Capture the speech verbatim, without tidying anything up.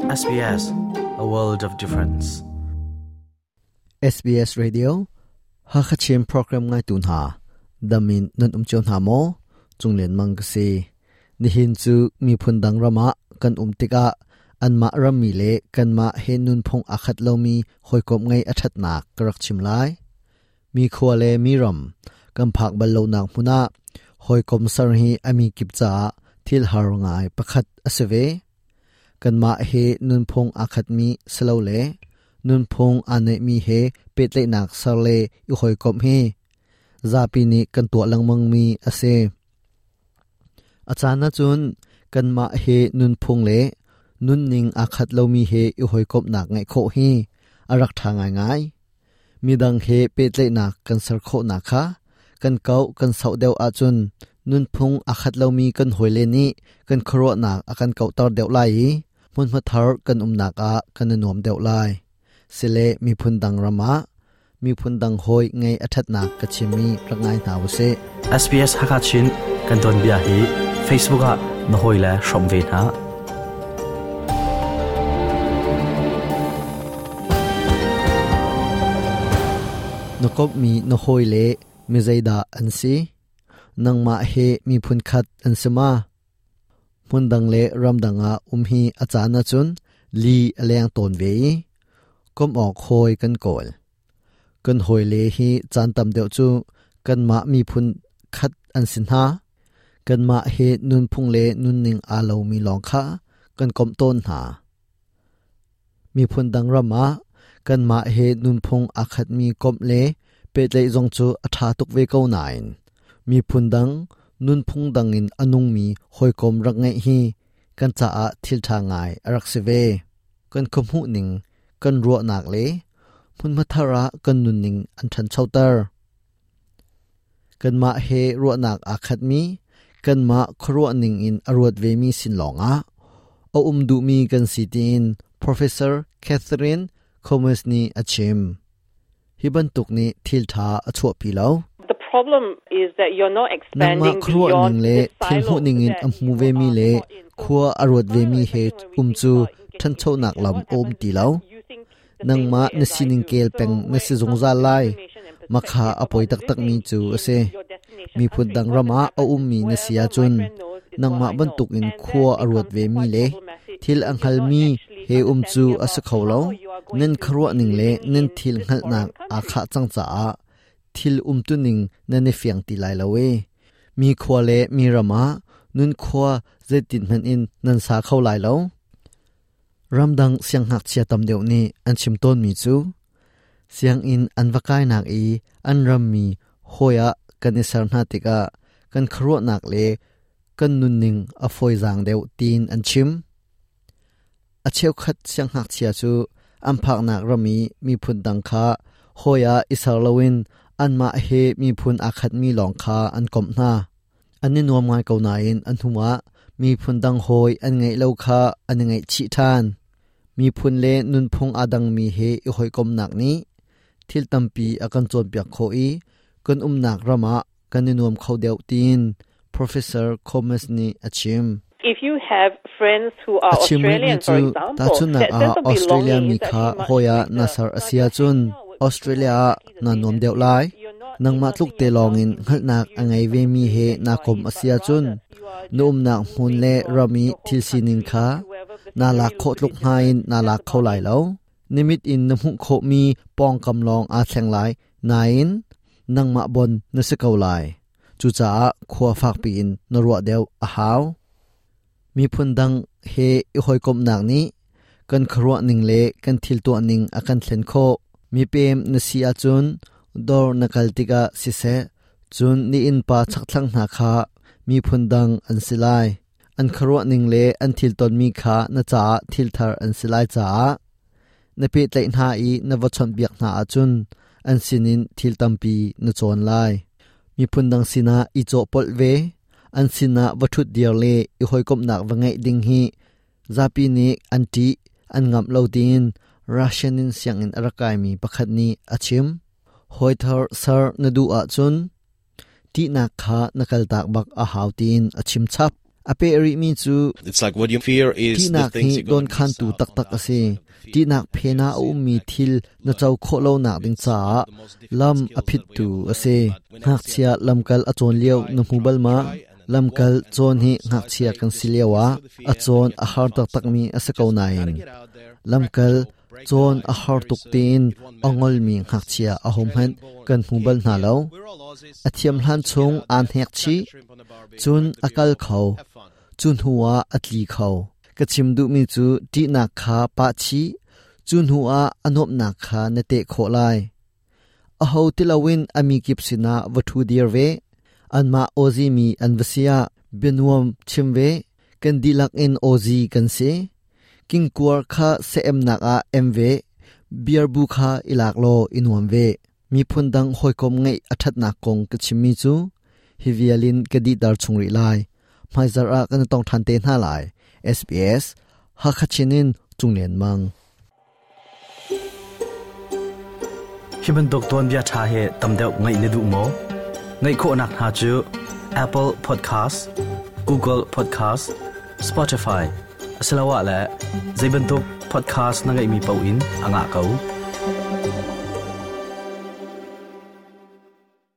S B S, a world of difference. S B S Radio, Hakachin program ngai tu hna, damin nan um cheu hna maw, chunglen mang ka si. Nihin chu mi phun dang rama kan um tika anma rammi le kanma he nun phung akhat lomi hoikom ngai athat nak karak chim lai. Mi khwa le mi ram kan phak bal lo nak hmuna hoikom sar hi ami kip cha thil har ngai pakhat aseve. Kanma he nun phung akhat mi slo le nun phung ane mi he petle nak sar le i hoikom hi zapi ni kan tua langmang mi ase. Achana chun kanma he nun phung le nun ning akhat lo mi he i hoikom nak ngai kho hi arak tha ngai ngai. Midang he petle nak kan sar kho na kha kan kau kan sau deuh a chun nun phung akhat lo mi kan hoile ni kan khro nak akan kau tar deuh lai mun ma thar kan um nak a kan nuam deuh lai. Sile mi phun dang rama mi phun dang hoi ngai athat nak ka chimi rangai na wase. S B S Hakachin kan don bia hi Facebook a na hoi la shom ve na. Nokop mi no hoi le mi zaida an si nangma he mi phun khat an sema mun dang le ram danga um hi achana chun li aleng ton ve kom ok hoi kan kol kan hoi le hi chan tam deuh chu kan ma mi phun khat an sin ha kan ma he nun phung le nun ning a lo mi long kha kan kom ton ha mi phun dang rama kan ma he nun phung a khat mi kom le pe tlei zong chu a tha tuk ve ko nain mi phun dang nun phung dang in anung mi hoi kom rak ngai hi kan cha a thil tha ngai arak se ve kan khom hu ning kan ro nak le phun ma thara kan nun ning an than chautar kan ma he ro nak a khat mi kan ma khro ning in arot ve mi sin longa o um du mi kan si tin Professor Catherine Comas ni achim hiban tuk ni thil tha achho pi lo. The problem is that you're not expanding nangma khro ning le thil hu ning in amhu ve mi le khua arot ve mi he um chu than chho nak lam om ti lo. Nangma na sining kel peng na si zongza lai makha apoi tak tak mi chu ase mi phun dang rama a um mi na sia chun nangma ban tuk in khua arot ve mi le thil anghal mi he um chu asa kholo nen khro ning le nen thil ngal nak a kha chang cha a thil um tu ning na ne fiang ti lai lo we mi khua le mi rama nun khua zetin man in nan sa kho lai lo. Ramdang siang hak chia tam deuh ni an chim ton mi chu siang in an vakai nak i an ram mi hoya kan isar na tika kan khro nak le kan nun ning a foi jang deuh tin an chim. A cheu khat siang hak chia chu an phak nak rami mi phun dang kha hoya isar lowin an ma he mi phun a khat mi long kha an kom na an ni nuam ngai ko na in an huma mi phun dang hoi an ngai lo kha an ngai chi than mi phun le nun phung adang mi he i hoi kom nak ni thil tampi akan chon piak kho i kan um nak rama kan ni nuam kho deuh tin Professor Comas ni achim. If you have friends who are Achim Australian, for chu example, ta chun na that a sense of Australia belonging mi is kha actually much hoya greater. nasar But asia you're chun hanging out with Australia people na who nom are deuh lai you're not nangma tluk te long in ngal nak angai ve mi he na kom asia chun num nak hmun le rami thil sining kha na lak kho tluk hnain na lak kho lai lo nimit in na mu kho mi pong kam long a thleng lai nain nangma bon na se ko lai chu cha khwa phak pi in na ro deuh a haw mi phun dang he i hoi kom nak ni kan khro ning le kan thil to ning akan thlen kho mi pem na si a chun dor na kal tika si se chun ni in pa chak thlang na kha mi phun dang an silai an khro ning le an thil ton mi kha na cha thil thar an silai cha na pe tlai na i na va chon biak na a chun an sinin thil tampi na chon lai mi phun dang sina i cho pol ve an sina va thut diar le i hoi kom nak wa ngai ding hi zapi ni anti an ngam lo tin Russian in siang in arakai mi pakhat ni achim hoi thar sar na du a chun ti na kha nakal tak bak a hau tin achim chap A pe ri mi chu It's like what you fear is the tinak things hi you're don gonna khan miss tu out tak on tak the ase outside of the tinak field. phena a um mi thil na chau kho lo nak ding cha lam a phit tu ase ngak chia lamkal a chon liao na hmubal ma lamkal chon hi ngak chia kan siliawa a chon a har tak tak mi ase ko na in lamkal chon a har tuk tin angol mi ngak chia a hom han kan hmubal na lo a thiam hlan chung an hek chi chun akal kho chun huwa atli kho ka chim du mi chu ti na kha pa chi chun huwa anop na kha na te kho lai a ho tilawin ami kip sina wathu dir ve anma ozi mi anvasia benuam chimve kan dilak in ozi kan se king kuar kha se em nak a mv beer bu kha ilak lo inuam ve mi phun dang hoi kom ngai athat na kong ka chimmi chu hivialin kadi dar chungri lai maizar a kan tong than te na lai S B S Hakachinin chunglen mang hi bantuk ton bia tha he tamdeu ngai ne du mo ngai kho nak ha chu Apple Podcast Google Podcast Spotify asalawa la zaibantuk podcast na ngai mi pau in anga kau.